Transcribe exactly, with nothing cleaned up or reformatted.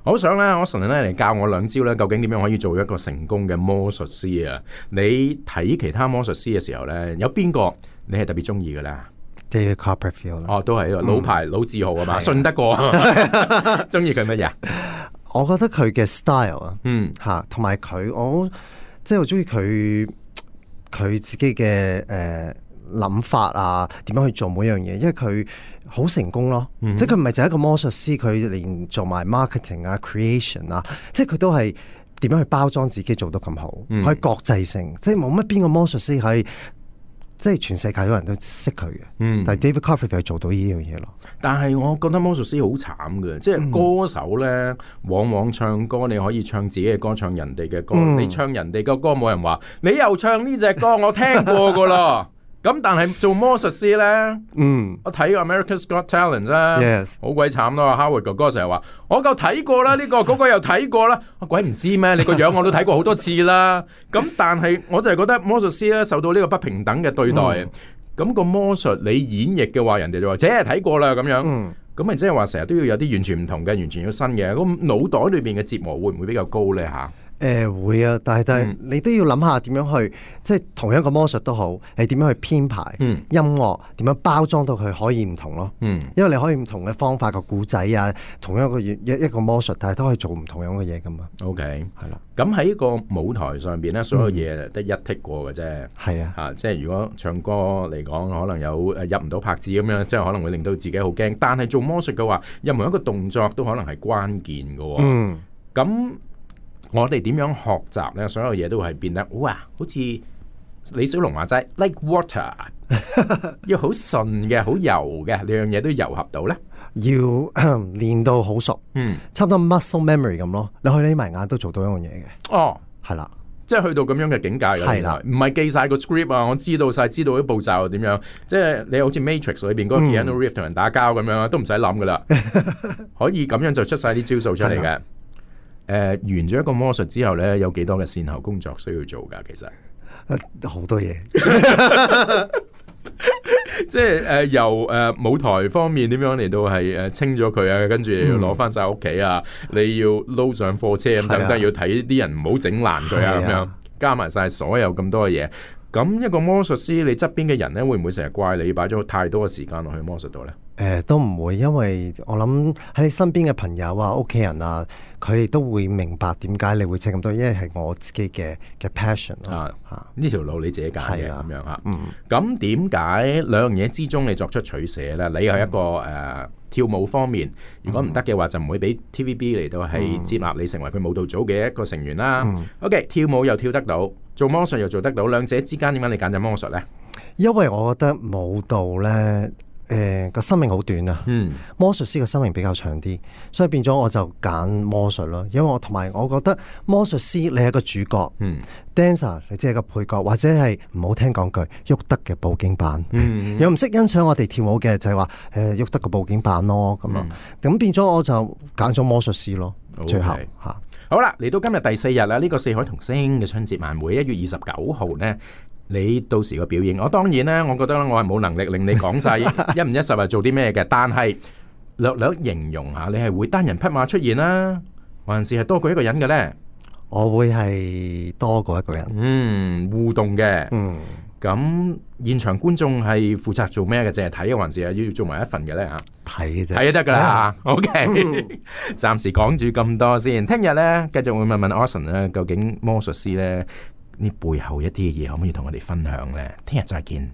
好想咧，我神咧嚟教我兩招咧，究竟點樣可以做一個成功嘅魔術師啊？你睇其他魔術師嘅時候咧，有邊個你係特別中意嘅咧？ David Copperfield 哦，都係老牌、嗯、老字號啊嘛，信得過。中意佢乜嘢？我覺得佢嘅 style 啊，嗯嚇，同埋佢我即係我中意佢佢自己嘅誒諗法啊，點樣去做每樣嘢，因為佢好成功咯。嗯、即係佢唔係就係一個魔術師，佢連做埋 marketing 啊、creation 啊，即係佢都係點樣去包裝自己做到咁好，嗯、可以國際性，即係冇乜邊個魔術師可以。即係全世界有人都識佢嘅，嗯、但係 David Copperfield 係做到呢樣嘢咯。但係我覺得魔術師好慘嘅，即係歌手咧，嗯、往往唱歌你可以唱自己嘅歌，唱人哋嘅歌，嗯、你唱人哋嘅歌冇人話，你又唱呢隻歌，我聽過噶啦。咁但係做魔術師咧，嗯，我睇 America's Got Talent 啫，好鬼慘咯。Howard 哥哥成日話我夠睇過啦，呢、這個嗰、那個又睇過啦，我鬼唔知咩？你個樣我都睇過好多次啦。咁但係我就係覺得魔術師咧受到呢個不平等嘅對待。咁、嗯、個魔術你演繹嘅話，人哋就話，即係睇過啦咁樣。咁咪即係話成日都要有啲完全唔同嘅，完全要新嘅。咁腦袋裏邊嘅折磨會唔會比較高咧？吓？誒、呃、會啊，但係但係你都要諗下點樣去，即係同一個魔術都好，你點樣去編排、嗯、音樂，點樣包裝到佢可以唔同咯。嗯，因為你可以唔同嘅方法個故仔啊，同一個一一個魔術，但係都可以做唔同樣嘅嘢噶嘛。OK，係啦。咁喺個舞台上邊咧，所有嘢得一剔過嘅啫。係、嗯、啊，嚇、啊，即係如果唱歌嚟講，可能有誒入唔到拍子咁樣，即係可能會令到自己好驚。但係做魔術嘅話，任何一個動作都可能係關鍵嘅喎。嗯，咁。我哋點樣學習咧？所有嘢都係變得哇，好似李小龍話齋 like water， 要好順嘅、好柔嘅，兩樣嘢都糅合到咧。要練到好熟，嗯，差唔多 muscle memory 咁咯。你可以匿埋眼都做到一樣嘢嘅。哦，係啦，即係去到咁樣嘅境界嘅，係啦，唔係記晒個 script 啊，我知道晒，知道啲步驟點樣。即係你好似 Matrix 裏邊嗰個 Keanu Reeves 同人打交咁樣，都唔使諗噶啦，可以咁樣就出晒啲招數出嚟嘅。誒、呃，完咗一個魔術之後咧，有幾多嘅善後工作需要做噶？其實好、呃、多嘢，即係誒、呃、由誒、呃、舞台方面點樣嚟到係誒清咗佢啊，跟住要攞翻晒屋企啊，嗯、你要撈上貨車咁等等，要睇啲人唔好整爛佢啊，咁樣加埋晒所有咁多嘅嘢。咁一個魔術師，你側邊嘅人咧，會唔會成日怪你擺咗太多嘅時間落去魔術度咧？誒、呃，都唔會，因為我諗喺你身邊嘅朋友啊、屋企人啊，佢哋都會明白點解你會請咁多，因為係我自己嘅嘅 passion 啊。吓，呢條路你自己揀嘅咁樣吓。嗯。咁點解兩樣嘢之中你作出取捨咧？你係一個誒、嗯呃、跳舞方面，如果唔得嘅話，就唔會俾 T V B 嚟到係接納你成為佢舞蹈組嘅一個成員啦。嗯、OK， 跳舞又跳得到，做魔術又做得到，兩者之間點解你揀咗魔術咧？因為我覺得舞蹈咧。誒、呃、個生命好短啊，嗯、魔術師嘅生命比較長啲，所以變咗我就揀魔術咯。因為我同埋我覺得魔術師你係一個主角、嗯、dancer 你只係個配角，或者係唔好聽講句喐得嘅佈景板。嗯、又唔識欣賞我哋跳舞嘅就係話誒喐得個佈景板咯咁咯。咁、嗯、變咗我就揀咗魔術師咯。Okay. 最後嚇好啦，嚟到今日第四日啦，呢、這個四海同聲嘅春節晚會一月二十九號呢。你到時個表演，我當然咧，我覺得我係冇能力令你講晒一五一十係做啲咩嘅，但係略略形容下，你係會單人匹馬出現啦，還是係多過一個人嘅咧？我會係多過一個人，嗯，互動嘅，嗯，咁現場觀眾係負責做咩嘅？淨係睇，還是係要做埋一份嘅咧？啊，睇嘅啫，睇就得噶啦。OK，暫時講住咁多先，聽日咧繼續會問問 Austin 咧，究竟魔術師咧？呢背後一啲嘅嘢可唔可以同我哋分享呢？聽日再見。